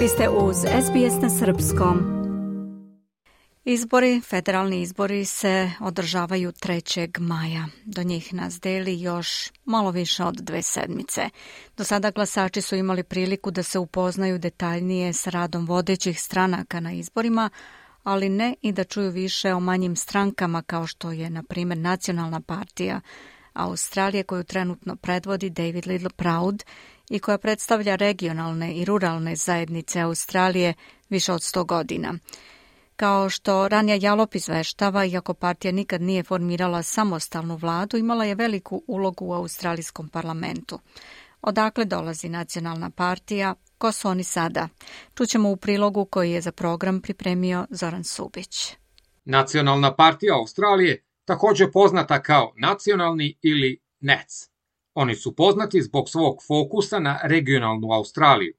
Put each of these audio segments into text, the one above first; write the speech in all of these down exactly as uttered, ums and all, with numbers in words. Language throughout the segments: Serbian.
Vi ste uz S B S na srpskom. Izbori, federalni izbori se održavaju trećeg maja. Do njih nas deli još malo više od dve sedmice. Do sada glasači su imali priliku da se upoznaju detaljnije s radom vodećih stranaka na izborima, ali ne i da čuju više o manjim strankama kao što je, na primjer, Nacionalna partija Australije koju trenutno predvodi David Littleproud i koja predstavlja regionalne i ruralne zajednice Australije više od sto godina. Kao što Ranja Jalop izveštava, iako partija nikad nije formirala samostalnu vladu, imala je veliku ulogu u australijskom parlamentu. Odakle dolazi Nacionalna partija? Ko su oni sada? Čućemo u prilogu koji je za program pripremio Zoran Subić. Nacionalna partija Australije, također poznata kao nacionalni ili N A C. Oni su poznati zbog svog fokusa na regionalnu Australiju.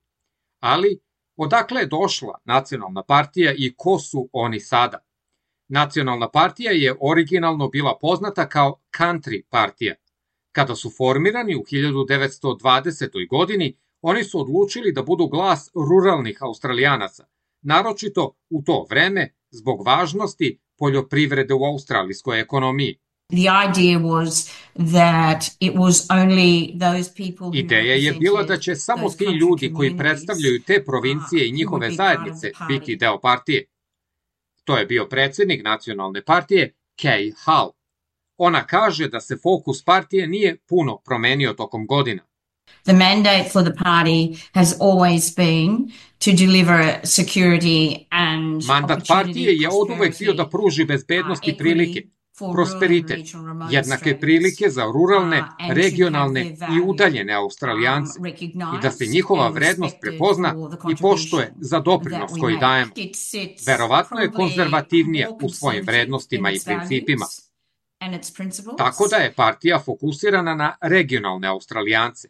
Ali, odakle je došla Nacionalna partija i ko su oni sada? Nacionalna partija je originalno bila poznata kao Country partija. Kada su formirani u hiljadu devetsto dvadesetoj. godini, oni su odlučili da budu glas ruralnih Australijanaca, naročito u to vreme zbog važnosti poljoprivrede u australijskoj ekonomiji. Ideja je bila da će samo ti ljudi koji predstavljaju te provincije i njihove zajednice biti deo partije. To je bio predsjednik Nacionalne partije Kay Hull. Ona kaže da se fokus partije nije puno promenio tokom godina. The mandate for the party has always been to deliver security and Mandat partije je oduvek bio da pruži bezbednost i prilike, prosperitet, jednake prilike za ruralne, regionalne i udaljene Australijance i da se njihova vrednost prepozna i poštuje za doprinos koji dajemo. Verovatno je konzervativnija u svojim vrednostima i principima. Tako da je partija fokusirana na regionalne Australijance.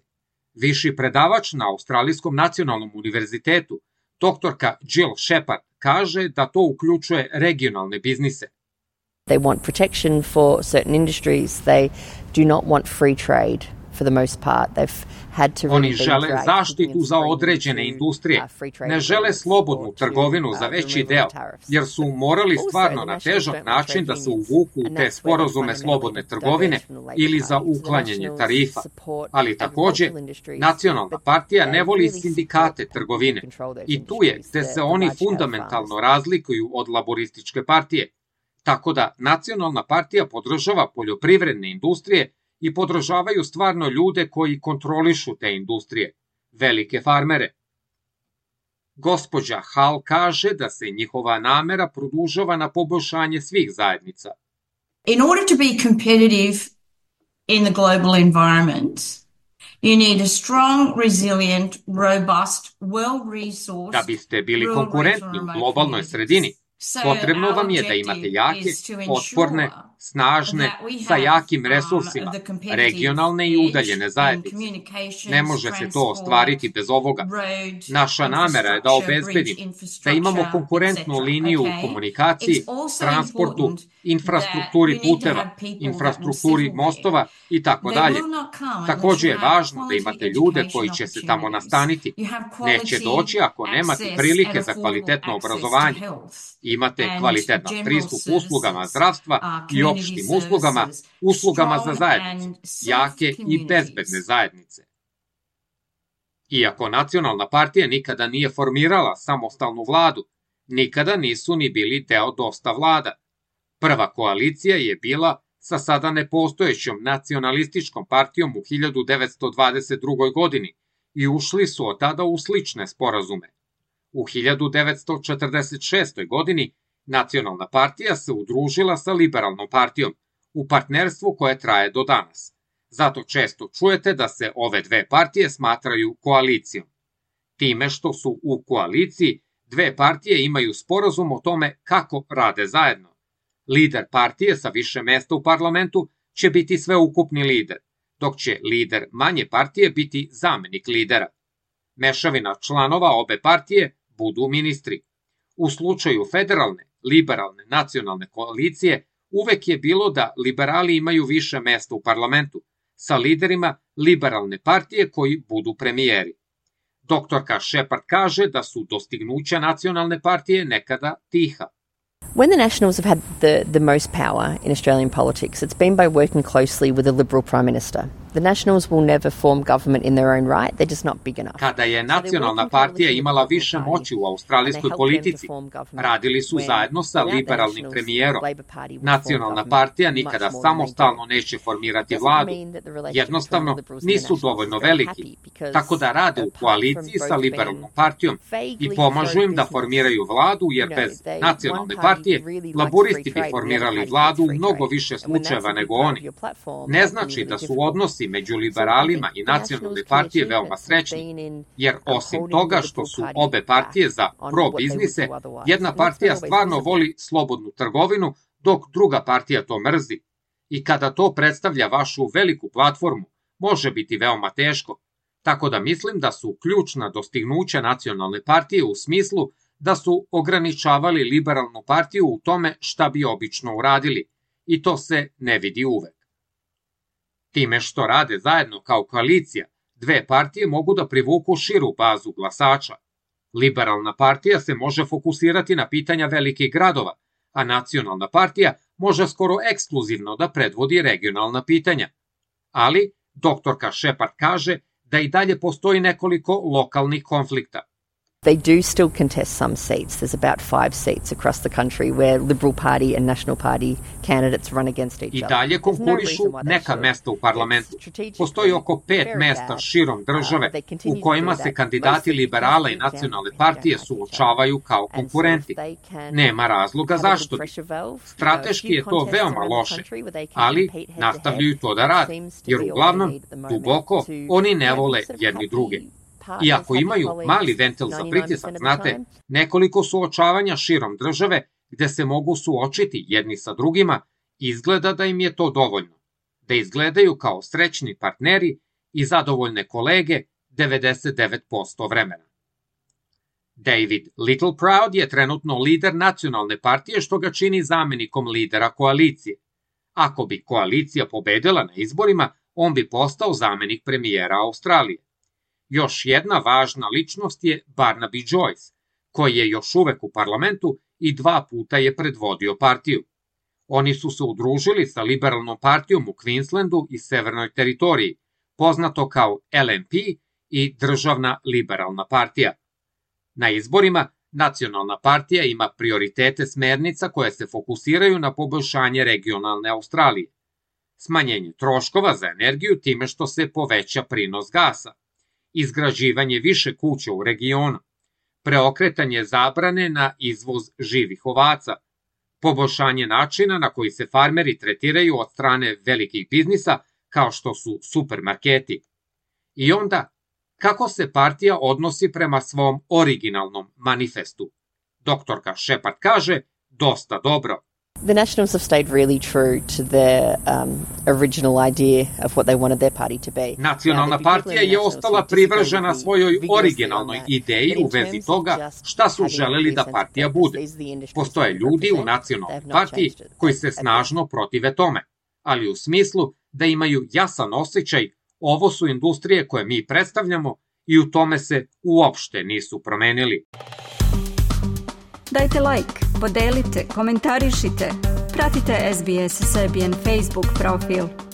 Viši predavač na Australijskom nacionalnom univerzitetu, doktorka Jill Shepard, kaže da to uključuje regionalne biznise. They want protection for certain industries. They do not want free trade for the most part. They've had to Oni žele zaštitu za određene industrije. Ne žele slobodnu trgovinu za veći deo, jer su morali stvarno na težak način da se uvuku u te sporazume slobodne trgovine ili za uklanjanje tarifa. Ali također, Nacionalna partija ne voli sindikate trgovine. I tu je gde se oni fundamentalno razlikuju od laborističke partije. Tako da Nacionalna partija podržava poljoprivredne industrije i podržavaju stvarno ljude koji kontrolišu te industrije, velike farmere. Gospođa Hull kaže da se njihova namera produžava na poboljšanje svih zajednica. In order to be competitive in the global environment, you need a strong, resilient, robust, well-resourced, da biste bili konkurentni u globalnoj sredini, potrebno vam je da imate jake, otporne, snažne, sa jakim resursima, regionalne i udaljene zajednice. Ne može se to ostvariti bez ovoga. Naša namera je da obezbedimo da imamo konkurentnu liniju u komunikaciji, transportu, infrastrukturi puteva, infrastrukturi mostova i tako dalje. Također je važno da imate ljude koji će se tamo nastaniti. Neće doći ako nemate prilike za kvalitetno obrazovanje. Imate kvalitetan pristup uslugama zdravstva i opštim uslugama, uslugama za zajednicu, jake i bezbedne zajednice. Iako Nacionalna partija nikada nije formirala samostalnu vladu, nikada nisu ni bili deo dosta vlada. Prva koalicija je bila sa sada nepostojećom nacionalističkom partijom u hiljadu devetsto dvadeset drugoj. godini i ušli su od tada u slične sporazume. U hiljadu devetsto četrdeset šestoj. godini Nacionalna partija se udružila sa Liberalnom partijom u partnerstvu koje traje do danas. Zato često čujete da se ove dve partije smatraju koalicijom. Time što su u koaliciji, dve partije imaju sporazum o tome kako rade zajedno. Lider partije sa više mesta u parlamentu će biti sveukupni lider, dok će lider manje partije biti zamenik lidera. Mešavina članova obe partije budu ministri. U slučaju federalne, liberalne, nacionalne koalicije uvek je bilo da liberali imaju više mesta u parlamentu, sa liderima liberalne partije koji budu premijeri. Doktorka Shepard kaže da su dostignuća nacionalne partije nekada tiha. When the Nationals have had the, the most power in Australian politics, it's been by working closely with a Liberal Prime Minister. The Nationals will never form government in their own right, they're just not big enough. Kada je nacionalna partija imala više moći u australijskoj politici, radili su zajedno sa liberalnim premijerom. Nacionalna partija nikada samostalno neće formirati vladu. Jednostavno nisu dovoljno veliki, tako da rade u koaliciji sa liberalnom partijom i pomažu im da formiraju vladu, jer bez nacionalne partije laburisti bi formirali vladu u mnogo više slučajeva nego oni. Ne znači da su odnosi među liberalima i nacionalne partije veoma srećni, jer osim toga što su obe partije za pro-biznise, jedna partija stvarno voli slobodnu trgovinu, dok druga partija to mrzi. I kada to predstavlja vašu veliku platformu, može biti veoma teško. Tako da mislim da su ključna dostignuća nacionalne partije u smislu da su ograničavali liberalnu partiju u tome šta bi obično uradili, i to se ne vidi uvek. Time što rade zajedno kao koalicija, dve partije mogu da privuku širu bazu glasača. Liberalna partija se može fokusirati na pitanja velikih gradova, a nacionalna partija može skoro ekskluzivno da predvodi regionalna pitanja. Ali, doktorka Shepard kaže da i dalje postoji nekoliko lokalnih konflikta. They do still contest some seats. There's about five seats across the country where Liberal Party and National Party candidates run against each other. I dalje konkurišu neka mesta u parlamentu. Postoji oko pet mesta širom države u kojima se kandidati liberala i nacionalne partije suočavaju kao konkurenti. Nema razloga zašto bi. Strateški je to veoma loše, ali nastavljaju to da rade, jer uglavnom, duboko, oni ne vole jedni druge. Iako imaju mali ventil za pritisak, znate, nekoliko suočavanja širom države gde se mogu suočiti jedni sa drugima, izgleda da im je to dovoljno, da izgledaju kao srećni partneri i zadovoljne kolege devedeset devet posto vremena. David Littleproud je trenutno lider nacionalne partije, što ga čini zamenikom lidera koalicije. Ako bi koalicija pobedila na izborima, on bi postao zamenik premijera Australije. Još jedna važna ličnost je Barnaby Joyce, koji je još uvek u parlamentu i dva puta je predvodio partiju. Oni su se udružili sa liberalnom partijom u Queenslandu i Severnoj teritoriji, poznato kao L N P i Državna liberalna partija. Na izborima nacionalna partija ima prioritete smernica koje se fokusiraju na poboljšanje regionalne Australije, smanjenje troškova za energiju time što se poveća prinos gasa, izgrađivanje više kuća u regionu, preokretanje zabrane na izvoz živih ovaca, poboljšanje načina na koji se farmeri tretiraju od strane velikih biznisa kao što su supermarketi. I onda, kako se partija odnosi prema svom originalnom manifestu? Doktorka Shepard kaže, dosta dobro. The Nationals have stayed really true to their um, original idea of what they wanted their party to be. Nacionalna partija je ostala privržena svojoj originalnoj ideji u vezi toga šta su želeli da partija bude. Postoje ljudi u nacionalnoj partiji koji se snažno protive tome, ali u smislu da imaju jasan osjećaj, ovo su industrije koje mi predstavljamo i u tome se uopšte nisu promenili. Dajte like, podelite, komentarišite, pratite S B S Serbian Facebook profil.